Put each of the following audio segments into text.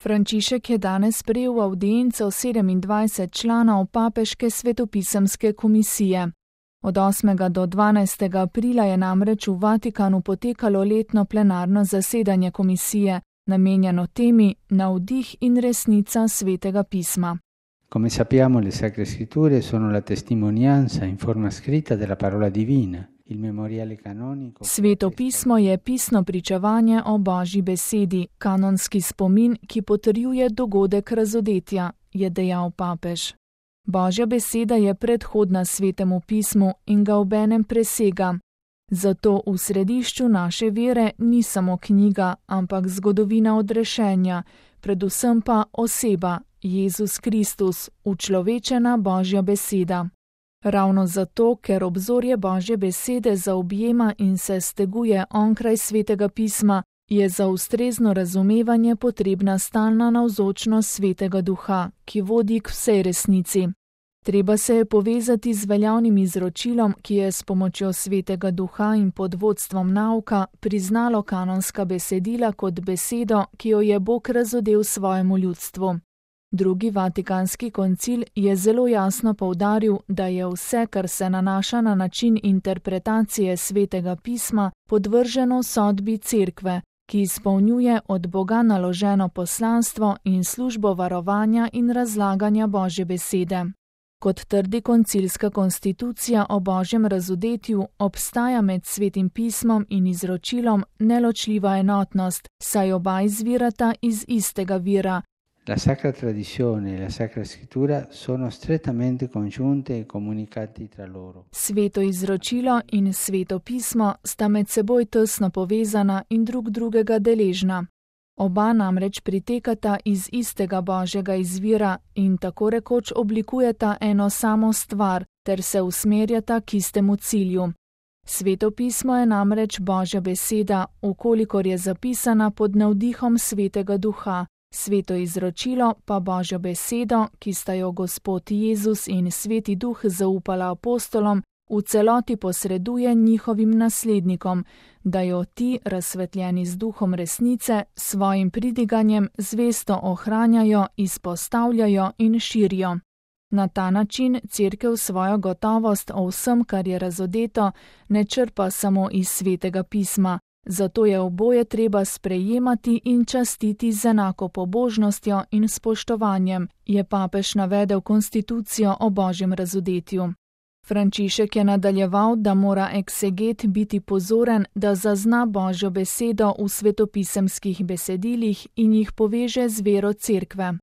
Frančišek je danes sprejel v avdienco 27 članov papeške svetopisemske komisije. Od 8. do 12. aprila je namreč v Vatikanu potekalo letno plenarno zasedanje komisije, namenjeno temi Navdih in resnica Svetega pisma. Come sappiamo, le Sacre Scritture sono la testimonianza in forma scritta della parola divina. Il memoriale canonico. Sveto pismo je pisno pričevanje o Božji besedi, kanonski spomin, ki potrjuje dogodek razodetja, je dejal papež. Božja beseda je predhodna Svetemu pismu in ga obenem presega. Zato v središču naše vere ni samo knjiga, ampak zgodovina odrešenja, predvsem pa oseba, Jezus Kristus, učlovečena Božja beseda. Ravno zato, ker obzorje Božje besede zaobjema in se steguje onkraj Svetega pisma, je za ustrezno razumevanje potrebna stalna navzočnost Svetega Duha, ki vodi k vsej resnici. Treba se je povezati z veljavnim izročilom, ki je s pomočjo Svetega Duha in pod vodstvom nauka priznalo kanonska besedila kot besedo, ki jo je Bog razodel svojemu ljudstvu. Drugi Vatikanski koncil je zelo jasno poudaril, da je vse, kar se nanaša na način interpretacije Svetega pisma, podvrženo sodbi Cerkve, ki izpolnjuje od Boga naloženo poslanstvo in službo varovanja in razlaganja Božje besede. Kot trdi koncilska konstitucija o Božjem razodetju, obstaja med Svetim pismom in izročilom neločljiva enotnost, saj oba izvirata iz istega vira. La Sacra Tradizione e la Sacra Scrittura sono strettamente congiunte e comunicati tra loro. Sveto izročilo in Sveto pismo sta med seboj tesno povezana in drug drugega deležna. Oba namreč pritekata iz istega Božjega izvira in tako rekoč oblikujeta eno samo stvar ter se usmerjata k istemu cilju. Sveto pismo je namreč Božja beseda, ukolikor je zapisana pod navdihom Svetega Duha. Sveto izročilo pa Božjo besedo, ki sta jo Gospod Jezus in Sveti Duh zaupala apostolom, v celoti posreduje njihovim naslednikom, da jo ti, razsvetljeni z duhom resnice, svojim pridiganjem zvesto ohranjajo, izpostavljajo in širijo. Na ta način Cerkev svojo gotovost o vsem, kar je razodeto, ne črpa samo iz Svetega pisma. Zato je oboje treba sprejemati in častiti z enako pobožnostjo in spoštovanjem, je papež navedel konstitucijo o Božjem razodetju. Frančišek je nadaljeval, da mora ekseget biti pozoren, da zazna Božjo besedo v svetopisemskih besedilih in jih poveže z vero Cerkve.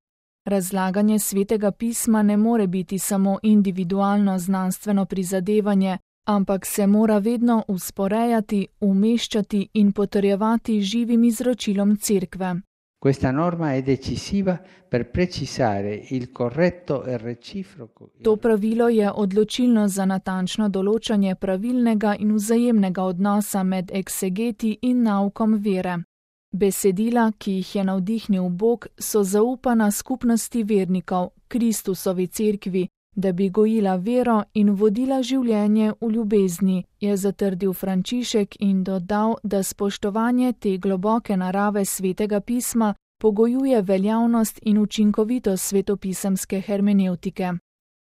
Razlaganje Svetega pisma ne more biti samo individualno znanstveno prizadevanje, ampak se mora vedno usporejati, umeščati in potrjevati živim izročilom Cerkve. Questa norma è decisiva per precisare il corretto e reciproco. To pravilo je odločilno za natančno določanje pravilnega in vzajemnega odnosa med eksegeti in naukom vere. Besedila, ki jih je navdihnil Bog, so zaupana skupnosti vernikov, Kristusovi Cerkvi, da bi gojila vero in vodila življenje v ljubezni, je zatrdil Frančišek in dodal, da spoštovanje te globoke narave Svetega pisma pogojuje veljavnost in učinkovitost svetopisemske hermenevtike.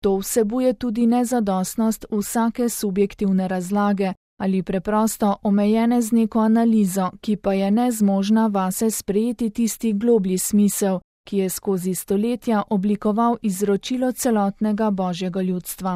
To vsebuje tudi nezadostnost vsake subjektivne razlage ali preprosto omejene z neko analizo, ki pa je nezmožna vase sprejeti tisti globlji smisel, ki je skozi stoletja oblikoval izročilo celotnega Božjega ljudstva.